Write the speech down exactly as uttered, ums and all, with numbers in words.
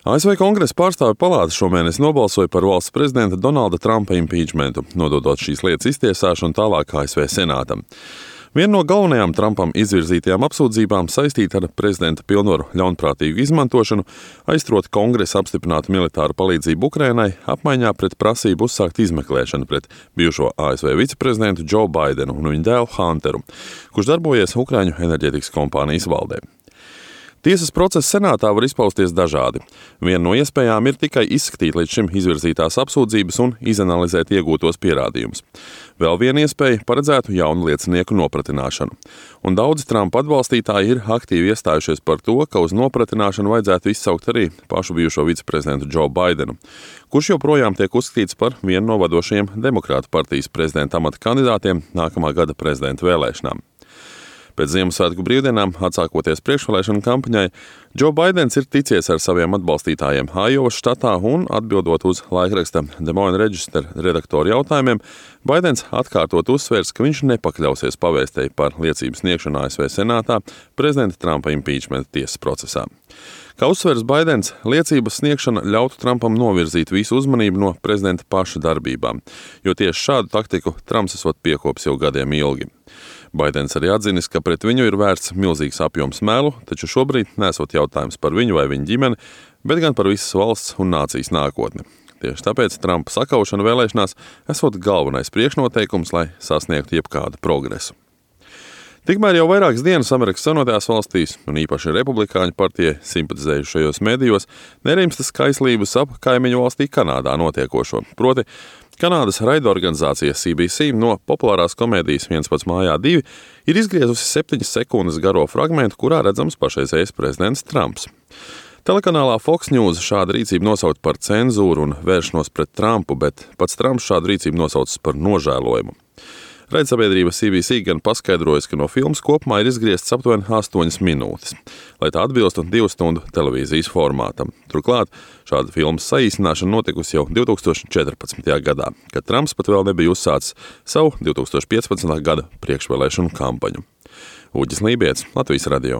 A S V Kongresa pārstāvju palāta šomēnes nobalsoja par valsts prezidenta Donalda Trumpa impeachmentu, nododot šīs lietas iztiesāšanu tālāk A S V Senātam. Viena no galvenajām Trumpam izvirzītajām apsūdzībām saistīta ar prezidenta pilnvaru ļaunprātīgu izmantošanu, aizturot Kongresa apstiprinātu militāru palīdzību Ukrainai, apmaiņā pret prasību uzsākt izmeklēšanu pret bijušo A S V viceprezidentu Joe Bidenu un viņa dēlu Hunteru, kurš darbojies Ukraiņu enerģētikas kompānijas valdē. Tiesas process senātā var izpausties dažādi. Viena no iespējām ir tikai izskatīt līdz šim izvirzītās apsūdzības un izanalizēt iegūtos pierādījumus. Vēl viena iespēja paredzētu jaunu liecinieku nopratināšanu. Un daudzi Trumpa atbalstītāji ir aktīvi iestājušies par to, ka uz nopratināšanu vajadzētu izsaukt arī pašu bijušo viceprezidentu Joe Bidenu, kurš joprojām tiek uzskatīts par vienu no vadošajiem demokrātu partijas prezidenta amata kandidātiem nākamā gada prezidenta vēlēšanām. Pēc Ziemassvētku brīvdienām, atsākoties priekšvēlēšanu kampaņai, Joe Bidens ir ticies ar saviem atbalstītājiem Ajovas štatā un, atbildot uz laikraksta Des Moines Register redaktoru jautājumiem, Bidens atkārtot uzsvērs, ka viņš nepakļausies pavēstei par liecības sniegšanu A S V Senātā prezidenta Trumpa impeachmenta tiesas procesā. Kā uzsvērs Bidens, liecības sniegšana ļautu Trumpam novirzīt visu uzmanību no prezidenta paša darbībām, jo tieši šādu taktiku Trumps esot piekopis jau gadiem ilgi. Bidens arī atzinis, ka pret viņu ir vērsts milzīgs apjoms melu, taču šobrīd nesot jautājums par viņu vai viņa ģimeni, bet gan par visas valsts un nācijas nākotni. Tieši tāpēc Trumpa sakaušana vēlēšanās esot galvenais priekšnoteikums, lai sasniegtu jebkādu progresu. Tikmēr jau vairākas dienas Amerikas Savienotajās valstīs, un īpaši Republikāņu partijai simpatizējušajos medijos, nerimstas kaislības ap kaimiņu valstī Kanādā notiekošo. Proti, Kanādas raidorganizācija C B C no populārās komēdijas Viens pats mājā divi ir izgriezusi septiņas sekundes garo fragmentu, kurā redzams pašreizējais prezidents Trumps. Telekanālā Fox News šādu rīcību nosauc par cenzūru un vēršanos pret Trumpu, bet pats Trumps šādu rīcību nosauc par nožēlojumu. Raidsabiedrība C B C gan paskaidrojas, ka no filmas kopumā ir izgrieztas aptuveni astoņas minūtes, lai tā atbilstu divu stundu televīzijas formātam. Turklāt šāda filmas saīsināšana notikusi jau divi tūkstoši četrpadsmitajā gadā, kad Trumps pat vēl nebija uzsācis savu divi tūkstoši piecpadsmitā gada priekšvēlēšanu kampaņu. Uģis Lībijets, Latvijas radio.